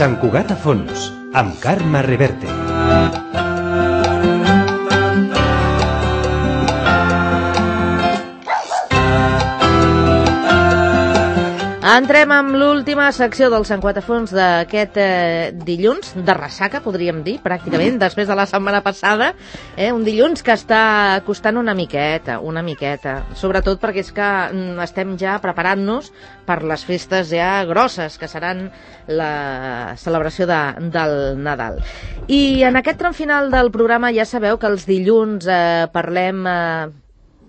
Sant Cugat a fons, amb Carme Reverte. Entrem amb l'última secció del Sant Cugat a fons d'aquest dilluns, de ressaca, podríem dir, pràcticament, després de la setmana passada. Un dilluns que està costant una miqueta, sobretot perquè és que estem ja preparant-nos per les festes ja grosses, que seran la celebració del Nadal. I en aquest tram final del programa ja sabeu que els dilluns parlem...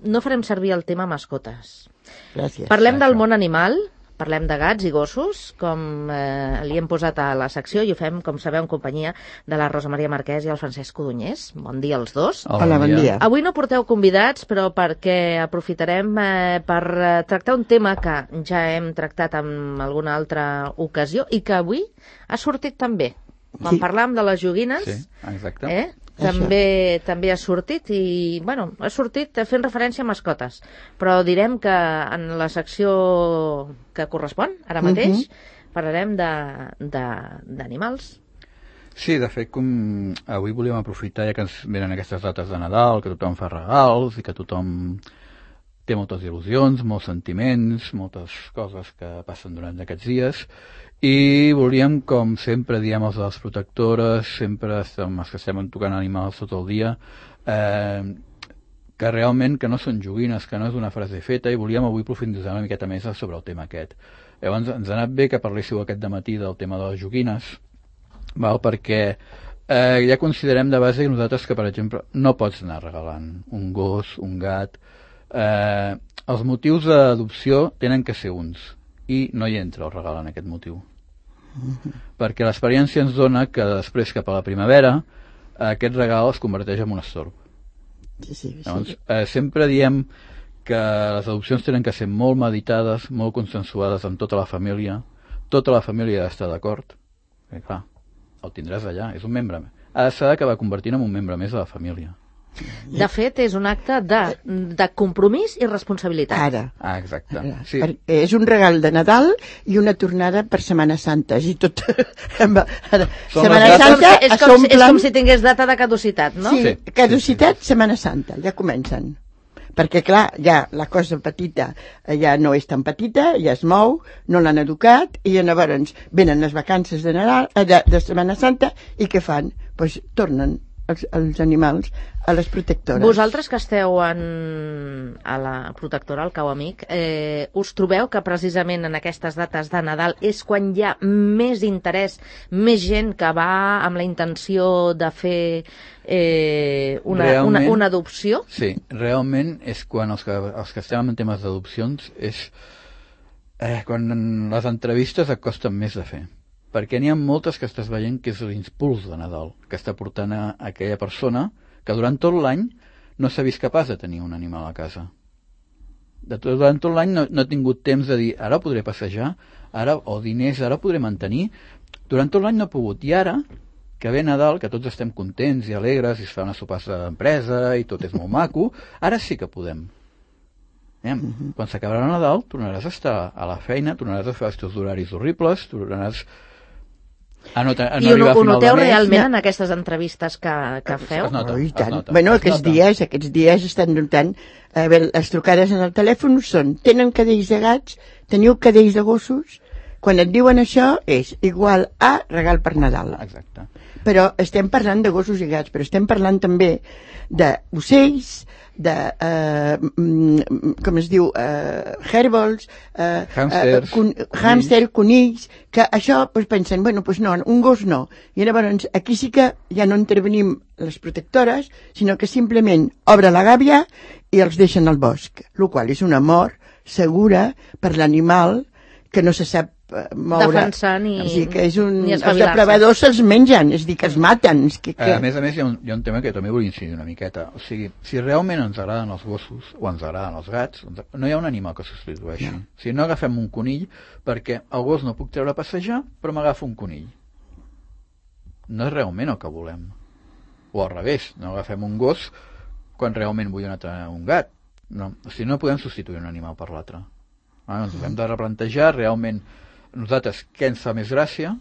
no farem servir el tema mascotes. Gràcies. Parlem del món animal. Parlem de gats i gossos, com li hem posat a la secció, i ho fem, com sabeu, en companyia de la Rosa Maria Marquès i el Francesc Codonyés. Bon dia als dos. Hola, bon dia. Avui no porteu convidats, però perquè aprofitarem per tractar un tema que ja hem tractat en alguna altra ocasió i que avui ha sortit també. Quan parlàvem de les joguines, sí, exacte. També ha sortit i, bueno, ha sortit fent referència a mascotes, però direm que en la secció que correspon, ara mateix, parlarem d'animals. Sí, de fet, com avui volíem aprofitar, ja que ens venen aquestes dates de Nadal, que tothom fa regals i que tothom té moltes il·lusions, molts sentiments, moltes coses que passen durant aquests dies, i volíem, com sempre diem els de les protectores, sempre estem, els que estem tocant animals tot el dia, que realment que no són joguines, que no és una frase feta, i volíem avui profunditzar una miqueta més sobre el tema aquest. Llavors ens ha anat bé que parléssiu aquest dematí del tema de les joguines, perquè ja considerem de base nosaltres que, per exemple, no pots anar regalant un gos, un gat. Els motius d'adopció tenen que ser uns, i no hi entra el regal en aquest motiu. Perquè l'experiència ens dona que després, cap a la primavera, aquest regal es converteix en un estorb. Sí. Llavors, sempre diem que les adopcions tenen que ser molt meditades, molt consensuades amb tota la família ha d'estar d'acord, clar, el tindràs allà, és un membre, s'ha d'acabar convertint en un membre més de la família. De fet, és un acte de compromís i responsabilitat. Ara. Exacte. Sí. És un regal de Nadal i una tornada per Setmana Santa. És tot... Setmana Santa és com si tingués data de caducitat, no? Sí, caducitat, Setmana Santa, ja comencen. Perquè, clar, ja la cosa petita ja no és tan petita, ja es mou, no l'han educat, i llavors venen les vacances de Nadal, de Setmana Santa, i què fan? Doncs tornen els animals a les protectores. Vosaltres que esteu a la protectora, al Cau Amic, us trobeu que precisament en aquestes dates de Nadal és quan hi ha més interès, més gent que va amb la intenció de fer una adopció? Sí, realment és quan els que estem en temes d'adopcions és quan les entrevistes et costen més de fer. Perquè n'hi ha moltes que estàs veient que és l'impuls de Nadal, que està portant a aquella persona que durant tot l'any no s'ha vist capaç de tenir un animal a casa. Durant tot l'any no ha tingut temps de dir, ara podré passejar, o diners, ara podré mantenir. Durant tot l'any no ha pogut. I ara, que ve Nadal, que tots estem contents i alegres, i es fa una sopassa d'empresa i tot és molt maco, ara sí que podem. Quan s'acabarà Nadal, tornaràs a estar a la feina, tornaràs a fer els teus horaris horribles, tornaràs... I ho noteu realment en aquestes entrevistes que feu? Es nota. Bueno, aquests dies estan notant... les trucades en el telèfon són: tenen cadells de gats, teniu cadells de gossos? Quan et diuen això és igual a regal per Nadal. Exacte. Però estem parlant de gossos i gats, però estem parlant també d'ocells, de com es diu, hèrbols, hàmster, conills, que això pensen, bueno, no, un gos no. I llavors aquí sí que ja no intervenim les protectores, sinó que simplement obre la gàbia i els deixen al bosc, el qual és una mort segura per l'animal que no se sap moure. Defensar ni els depredadors se'ls mengen, és a dir, que es maten. A més, hi ha un tema que també vull incidir una miqueta. O sigui, si realment ens agraden els gossos o ens agraden els gats, no hi ha un animal que substitueixi. O sigui, no agafem un conill perquè el gos no puc treure a passejar, però m'agafo un conill. No és realment el que volem. O al revés, no agafem un gos quan realment vull un gat. No. O sigui, no podem substituir un animal per l'altre. Ens hem de replantejar realment nosaltres què ens fa més gràcia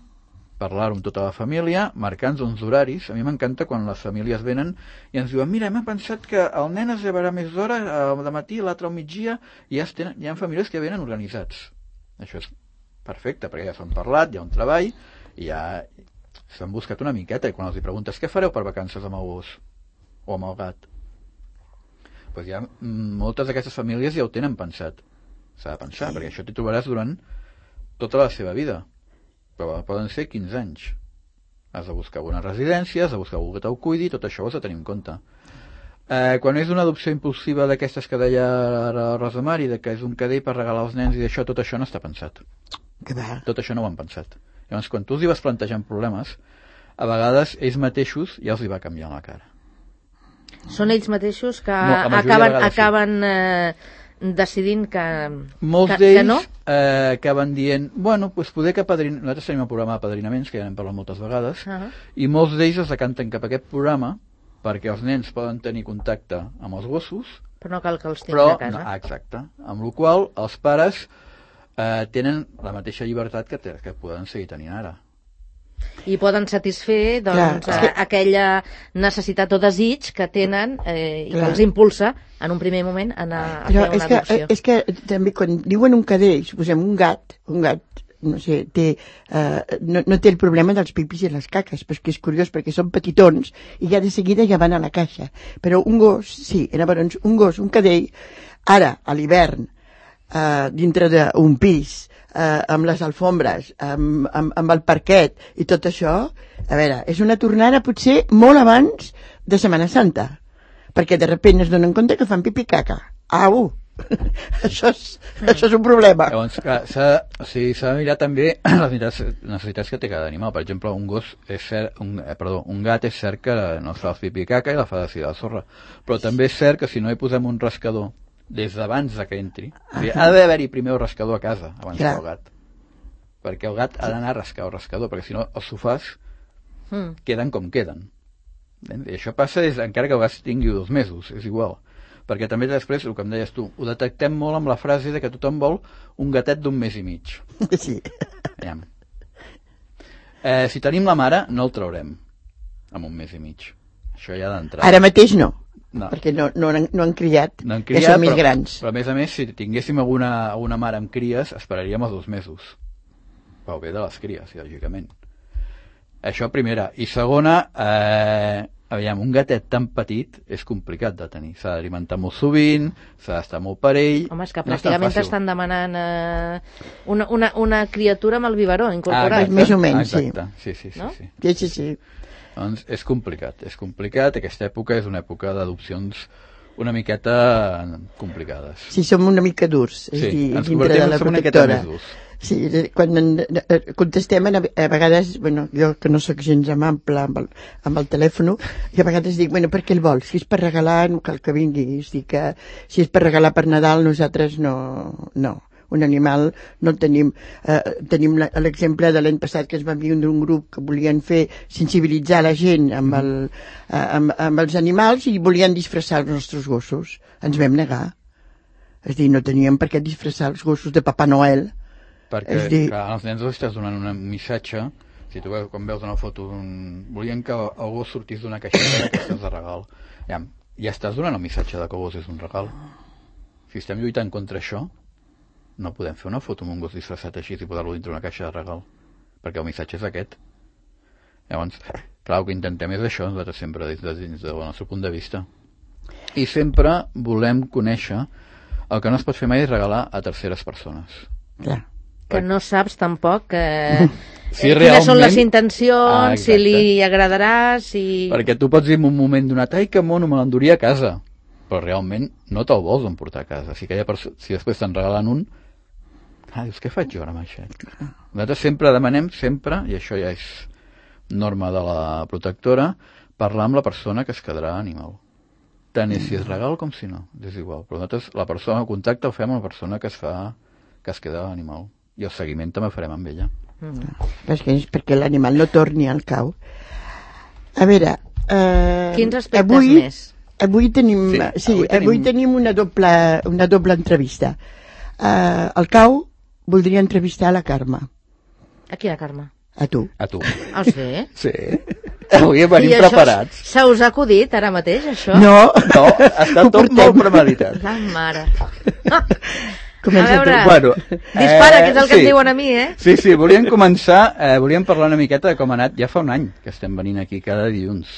parlar-ho amb tota la família, marcant uns horaris. A mi m'encanta quan les famílies venen i ens diuen, mira, hem pensat que el nen es llevarà més d'hora de matí, l'altre al migdia, i ja hi ha famílies que venen organitzats. Això és perfecte, perquè ja s'han parlat, hi ha un treball, i ja s'han buscat una miqueta, i quan els preguntes què fareu per vacances amb el gos o amb el gat, doncs ja moltes d'aquestes famílies ja ho tenen pensat. S'ha de pensar, perquè això t'hi trobaràs durant tota la seva vida, però poden ser 15 anys. Has de buscar una residència, has de buscar algú que te'l cuidi, tot això ho has de tenir en compte. Quan és una adopció impulsiva d'aquestes que deia la Rosa Mari, que és un cadell per regalar als nens i d'això, tot això no està pensat. Tot això no ho han pensat. Llavors, quan tu els hi vas plantejant problemes, a vegades ells mateixos ja els hi va canviant la cara. Són ells mateixos que No, acaben decidint que molts que d'ells no? acaben dient, bueno, doncs poder que nosaltres tenim el programa de padrinaments, que ja n'hem parlat moltes vegades, i molts d'ells es decanten cap a aquest programa perquè els nens poden tenir contacte amb els gossos, però no cal que els tinguin a casa. No, exacte, amb la qual cosa els pares tenen la mateixa llibertat que poden seguir tenint ara. I poden satisfer doncs, aquella necessitat o desig que tenen i que els impulsa en un primer moment a anar a fer una adopció. És que també quan diuen un cadell, suposem un gat, no sé, no té el problema dels pipis i les caques, però és que és curiós perquè són petitons i ja de seguida ja van a la caixa. Però un gos, sí, llavors un cadell, ara, a l'hivern, dintre d'un pis, amb les alfombres, amb el parquet i tot això, a veure, és una tornada potser molt abans de Setmana Santa, perquè de sobte es donen compte que fan pipí i caca. Au! Això és un problema. Llavors, s'ha de mirar també les necessitats que té cada animal. Per exemple, un gat és cert que no fa el pipí i caca i la fa de la sorra, però també és cert que si no hi posem un rascador des d'abans que entri, ha d'haver-hi primer el rascador a casa abans que el gat, perquè el gat ha d'anar a rascar el rascador, perquè si no els sofàs queden com queden. I això passa encara que el gat tingui 2 mesos, és igual, perquè també després, el que em deies tu, ho detectem molt amb la frase de que tothom vol un gatet d'1 mes i mig. Sí. Si tenim la mare no el traurem amb 1 mes i mig, això ja d'entrada. Ara mateix no. Perquè no han criat, ja són més grans. Però a més, si tinguéssim alguna mare amb cries, esperaríem els 2 mesos. Pel bé de les cries, lògicament. Això primera. I segona, un gatet tan petit és complicat de tenir. S'ha d'alimentar molt sovint, s'ha d'estar molt per ell. Home, és que pràcticament t'estan demanant una criatura amb el biberó incorporat. Més o menys, sí. Exacte, sí. Sí. Doncs és complicat, aquesta època és una època d'adopcions una miqueta complicades. Sí, som una mica durs, és dir, dintre de la protectora. Sí, quan contestem a vegades, jo que no sóc gens amable amb el telèfon, i a vegades dic, per què el vols? Si és per regalar, no cal que vingui. És dir, que si és per regalar per Nadal, nosaltres no. Un animal no el tenim. Tenim l'exemple de l'any passat que es va enviar d'un grup que volien fer sensibilitzar la gent amb els animals i volien disfressar els nostres gossos. Ens vam negar. És dir, no teníem per què disfressar els gossos de Papa Noel. Perquè, clar, als nens els estàs donant un missatge. Si tu veus, quan veus una foto volien que el gos sortís d'una caixeta d'aquestes de regal. Ja estàs donant el missatge de que el gos és un regal. Si estem lluitant contra això, no podem fer una foto amb un gos disfressat així i posar-lo dintre una caixa de regal, perquè el missatge és aquest. Llavors, clar, el que intentem és això, nosaltres sempre dins del nostre punt de vista. I sempre volem conèixer el que no es pot fer mai és regalar a terceres persones. Clar. Que no saps tampoc quines són les intencions, si li agradarà, si... Perquè tu pots dir en un moment donat, ai, que mono, me l'enduria a casa, però realment no te'l vols emportar a casa. Si després te'n regalen un, dius, què faig jo ara amb això? Nosaltres sempre demanem, i això ja és norma de la protectora, parlar amb la persona que es quedarà animal. Tant és si és regal com si no, és igual. Però nosaltres la persona, el contacte el fem amb la persona que es queda animal. I el seguiment també farem amb ella. És perquè l'animal no torni al cau. A veure... Quins aspectes més? Avui tenim una doble entrevista. Al cau voldria entrevistar la Carme. A quina Carme? A tu. A tu. Ah, sí? Sí. Avui venim I això preparats. se us ha acudit ara mateix, això? No, No, està tot molt premeditat. La mare. comença A veure, tu. Bueno, dispara, que és el que sí. em diuen a mi, eh? Sí, sí, volíem començar, volíem parlar una miqueta de com ha anat. Ja fa un any que estem venint aquí cada dilluns.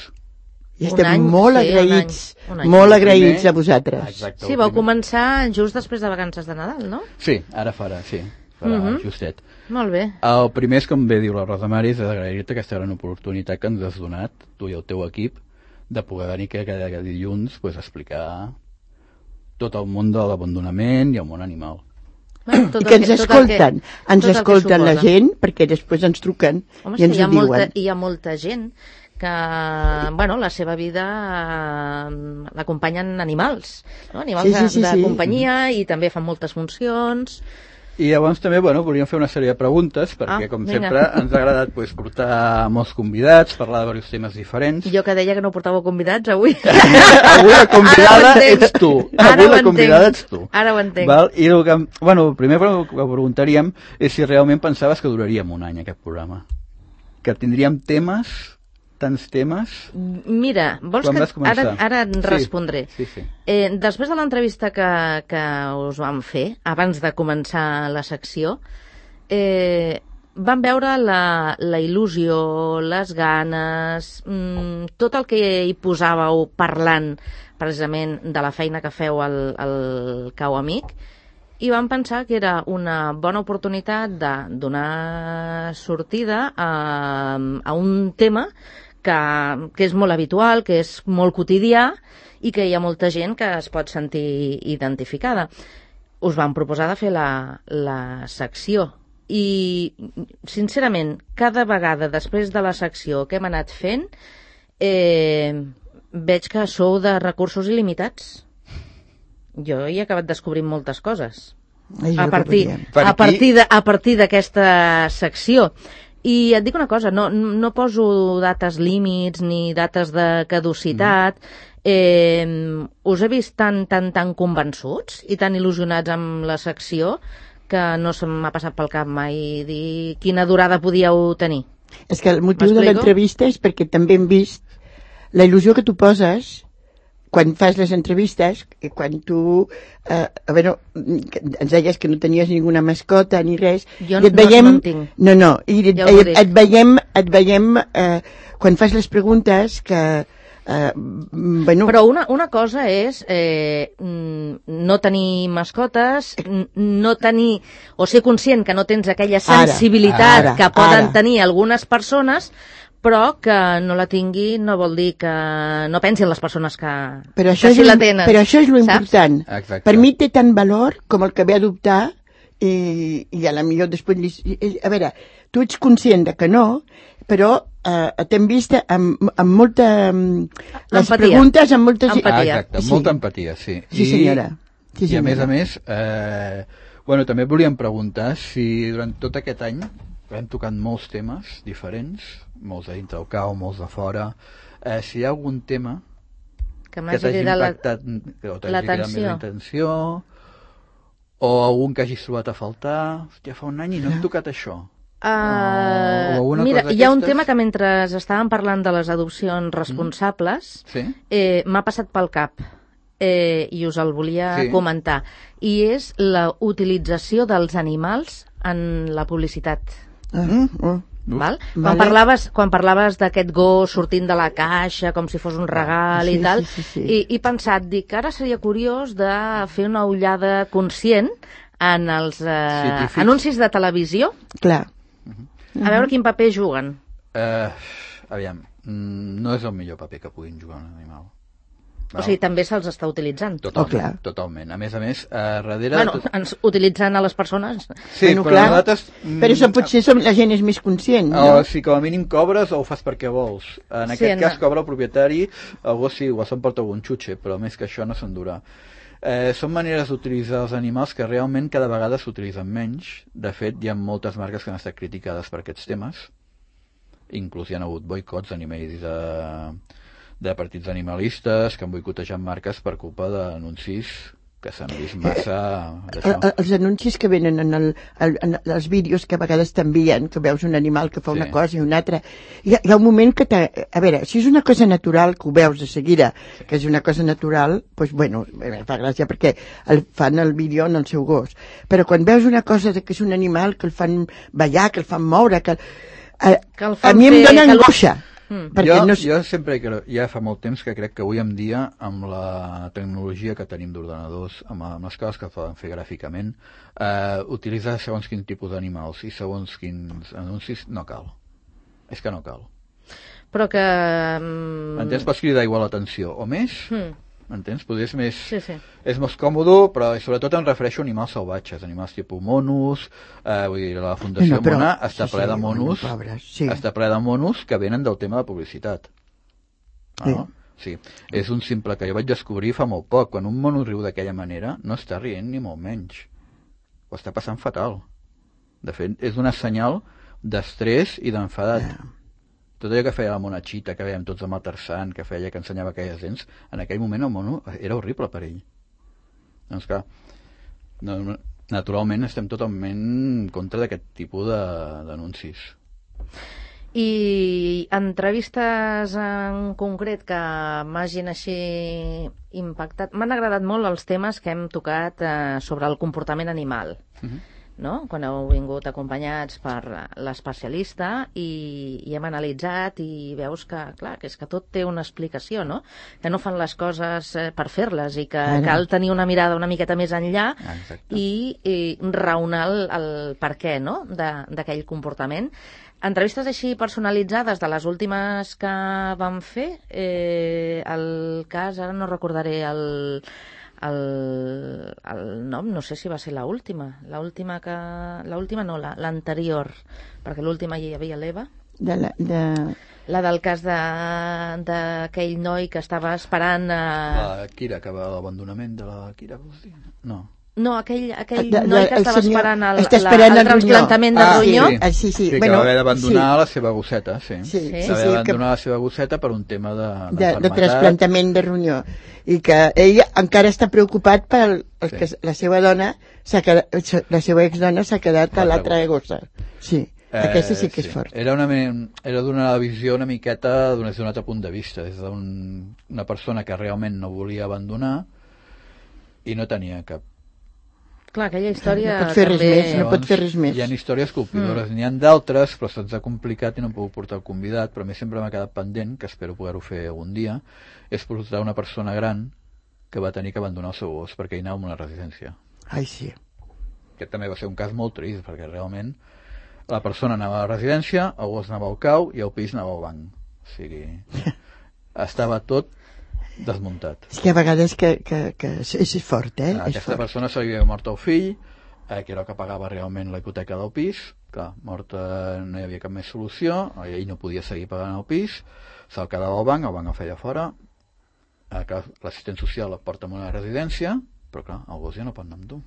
I Un estem any, molt sí, agraïts, un any. molt El primer- agraïts a vosaltres. Exacte. Sí, el vau primer- començar just després de vacances de Nadal, no? Sí, ara farà, sí. Farà justet. Molt bé. El primer és, com bé diu la Rosa Mari, és d'agrair-te aquesta gran oportunitat que ens has donat, tu i el teu equip, de poder venir cada dilluns pues, a explicar tot el món de l'abandonament i el món animal. Bueno, tot I que el ens tot el escolten, ens tot el que escolten la suposa. gent, perquè després ens truquen Home, i ens sí, ho diuen. hi ha molta gent que, bueno, la seva vida l'acompanyen animals, no? Animals de companyia i també fan moltes funcions. I llavors també, bueno, volíem fer una sèrie de preguntes, perquè, com vinga. sempre, ens ha agradat pues, portar molts convidats, parlar de diversos temes diferents. Jo que deia que no portàveu convidats avui. Avui la convidada Ara ho entenc. ets tu. Ara Avui ho la entenc. convidada ets tu. Ara ho entenc. Val? I el que, bueno, el primer que preguntaríem és si realment pensaves que duraríem un any aquest programa. Que tindríem temes, tants temes. Mira, vols Quan que vas començar? ara et Sí, respondré. sí. Després de l'entrevista que us vam fer, abans de començar la secció, vam veure la il·lusió, les ganes, tot el que hi posàveu parlant precisament de la feina que feu al Cau Amic, i vam pensar que era una bona oportunitat de donar sortida a un tema que és molt habitual, que és molt quotidià i que hi ha molta gent que es pot sentir identificada. Us vam proposar de fer la secció i, sincerament, cada vegada després de la secció que hem anat fent veig que sou de recursos il·limitats. Jo hi he acabat descobrint moltes coses a partir d'aquesta secció. I et dic una cosa, no poso dates límits ni dates de caducitat. Us he vist tan convençuts i tan il·lusionats amb la secció que no se m'ha passat pel cap mai dir quina durada podíeu tenir. És que el motiu de l'entrevista és perquè també hem vist la il·lusió que tu poses quan fas les entrevistes, quan tu ens deies que no tenies ninguna mascota ni res, jo i et veiem, no en tinc. et veiem quan fas les preguntes que Però una cosa és no tenir mascotes, no tenir, o ser conscient que no tens aquella sensibilitat que poden tenir algunes persones, però que no la tingui no vol dir que no pensi en les persones que sí la tenen. Però això és l'important. Exacte. Per mi té tant valor com el que ve a adoptar i a la millor després... A veure, tu ets conscient de que no, però t'hem vist amb molta... Les preguntes amb molta... Empatia. Exacte, molta empatia, sí. Sí, senyora. Sí, I a més, bueno, també volíem preguntar si durant tot aquest any hem tocat molts temes diferents, molts de dintre del cau, molts de fora, si hi ha algun tema que t'hagi impactat, que t'hagi cridat més l'atenció, o algun que hagis trobat a faltar. Hòstia, fa un any i no hem tocat això. Mira, hi ha un tema que mentre estàvem parlant de les adopcions responsables m'ha passat pel cap i us el volia comentar, i és la utilització dels animals en la publicitat. Val? Quan parlaves d'aquest gos sortint de la caixa com si fos un regal i tal, i pensat, dic, ara seria curiós de fer una ullada conscient en els anuncis de televisió. Clar. A veure quin paper juguen. Aviam, no és el millor paper que puguin jugar un animal. O sigui, també se'ls està utilitzant. Totalment. A més, darrere... Bueno, utilitzant a les persones. Sí, però nosaltres... Però això potser la gent és més conscient, no? Si com a mínim cobres o ho fas perquè vols. En aquest cas cobra el propietari, el gos sí, igual s'emporta algun xutxe, però més que això no s'endurà. Són maneres d'utilitzar els animals que realment cada vegada s'utilitzen menys. De fet, hi ha moltes marques que han estat criticades per aquests temes. Inclús hi ha hagut boicots d'animells de partits animalistes que han boicotejat marques per culpa d'anuncis que s'han vist massa d'això. Els anuncis que venen en els vídeos que a vegades t'envien, que veus un animal que fa una cosa i una altra, hi ha un moment que a veure, si és una cosa natural que ho veus de seguida, que és una cosa natural, doncs bueno, fa gràcia perquè fan el vídeo en el seu gos, però quan veus una cosa que és un animal que el fan ballar, que el fan moure, que a mi em dona angoixa. Jo sempre, ja fa molt temps que crec que avui en dia, amb la tecnologia que tenim d'ordenadors, amb les coses que poden fer gràficament, utilitzar segons quin tipus d'animals i segons quins anuncis no cal. És que no cal. Però que... Entens? Pots cridar igual l'atenció, o més... Entens? Potser és més... Sí. És més còmode, però sobretot em refereixo a animals salvatges, animals tipus monos, vull dir, la Fundació Mona està ple de monos, està ple de monos que venen del tema de publicitat. Sí. És un simple que jo vaig descobrir fa molt poc. Quan un mono riu d'aquella manera, no està rient ni molt menys. Ho està passant fatal. De fet, és una senyal d'estrès i d'enfadat. Tot allò que feia la monachita, que veiem tots amb el Tarzan, que feia que ensenyava aquelles dents, en aquell moment el mono era horrible per ell. Doncs clar, naturalment estem totalment en contra d'aquest tipus d'anuncis. I entrevistes en concret que m'hagin així impactat, m'han agradat molt els temes que hem tocat sobre el comportament animal. No? Quan heu vingut acompanyats per l'especialista i hem analitzat i veus que, clar, que és que tot té una explicació, no? Que no fan les coses per fer-les i que cal tenir una mirada una miqueta més enllà i raonar el per què, no?, d'aquell comportament. Entrevistes així personalitzades de les últimes que vam fer, el cas, ara no recordaré el nom, no sé si va ser l'última no, l'anterior, perquè l'última hi havia l'Eva, la del cas d'aquell noi que estava esperant la Kira, que va a l'abandonament de la Kira, vols dir? No, aquell noi que estava esperant el trasplantament de ronyó. Sí, que va haver d'abandonar la seva gosseta, va haver d'abandonar la seva gosseta per un tema de trasplantament de ronyó, i que ell encara està preocupat perquè la seva dona, la seva exdona s'ha quedat a l'altra gossa. Sí, aquesta sí que és fort. Era d'una visió una miqueta des d'un altre punt de vista, des d'una persona que realment no volia abandonar i no tenia cap... Clar, aquella història no pot fer res més. Hi ha històries colpidores, n'hi ha d'altres, però se'ns ha complicat i no hem pogut portar el convidat, però a mi sempre m'ha quedat pendent, que espero poder-ho fer algun dia, és portar una persona gran que va tenir que abandonar el seu gos perquè hi anava a una residència. Ai, sí. Aquest també va ser un cas molt trist, perquè realment la persona anava a la residència, el gos anava al cau i el pis anava al banc. O sigui, estava tot desmuntat. És que a vegades que és fort, Aquesta persona se li havia mort el fill, que era el que pagava realment la hipoteca del pis. Clar, morta no hi havia cap més solució, ell no podia seguir pagant el pis, se'l quedava al banc el feia fora, l'assistent social el porta a una residència, però clar, el gos ja no pot anar amb tu.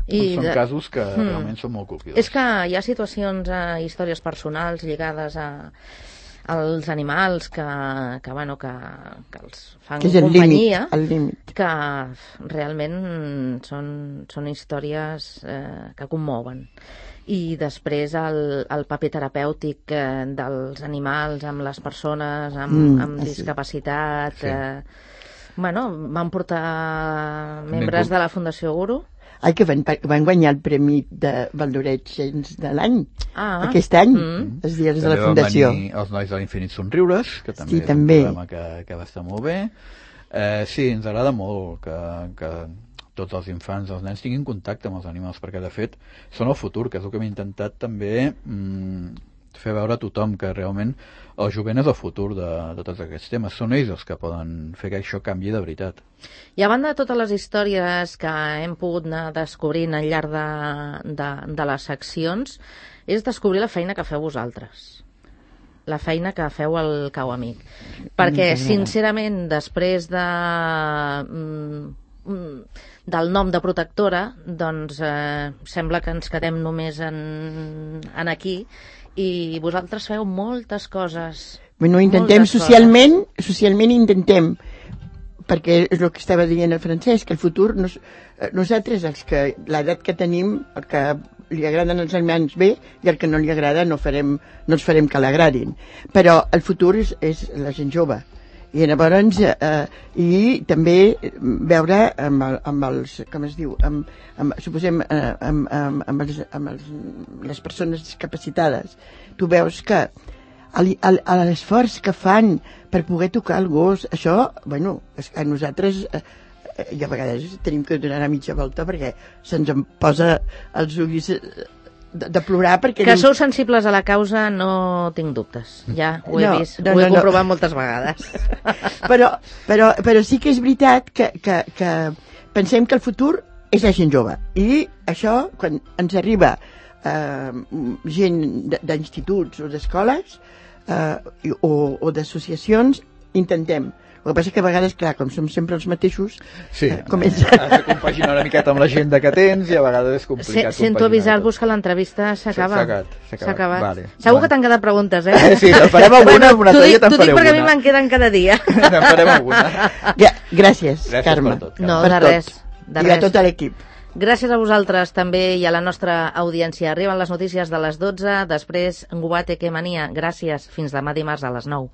Són casos que realment són molt colpidors. És que hi ha situacions, històries personals lligades als animals que els fan companyia, que realment són històries que commouen. I després el paper terapèutic dels animals amb les persones amb discapacitat. Van portar membres de la Fundació Guru. Que van guanyar el Premi de Valdoreig de l'any, aquest any, els dies de la Fundació. També van venir els Nois de l'Infinit Somriures, que també és un programa que va estar molt bé. Sí, ens agrada molt que tots els infants, els nens, tinguin contacte amb els animals, perquè de fet són el futur, que és el que hem intentat també fer veure a tothom, que realment el jovent és el futur de tots aquests temes. Són ells els que poden fer que això canviï de veritat. I a banda de totes les històries que hem pogut anar descobrint al llarg de les seccions, és descobrir la feina que feu vosaltres. La feina que feu al Cau Amic. Perquè, sincerament, després del nom de protectora, doncs sembla que ens quedem només en aquí, i vosaltres feu moltes coses. Bueno, intentem socialment intentem perquè és el que estava dient el Francesc, que el futur nosaltres, l'edat que tenim, el que li agraden els aliments bé i el que no li agrada no ens farem que l'agradin, però el futur és la gent jove, i llavors i també veure amb els, com es diu, suposem amb les persones discapacitades, tu veus que l'esforç que fan per poder tocar el gos, això, bueno, a nosaltres i a vegades tenim que donar una mitja volta perquè se'ns en posa els ulls de plorar perquè... Que sou sensibles a la causa, no tinc dubtes. Ja ho he vist, ho he comprovat moltes vegades. Però sí que és veritat que pensem que el futur és la gent jove. I això, quan ens arriba gent d'instituts o d'escoles o d'associacions, intentem. El que passa que a vegades, clar, com som sempre els mateixos, comença... Has de compaginar una miqueta amb l'agenda que tens i a vegades és complicat. Sento avisar-vos que l'entrevista s'acaba. S'ha acabat. Vale. Segur que t'han quedat preguntes, eh? Sí, te'n farem alguna, una altra dia te'n faré una. T'ho dic perquè a mi me'n queden cada dia. Te'n farem alguna. Gràcies, Carme. Per tot. No, de res. I a tot l'equip. Gràcies a vosaltres també i a la nostra audiència. Arriben les notícies de les 12, després Guate que mania. Gràcies. Fins demà dimarts a les 9.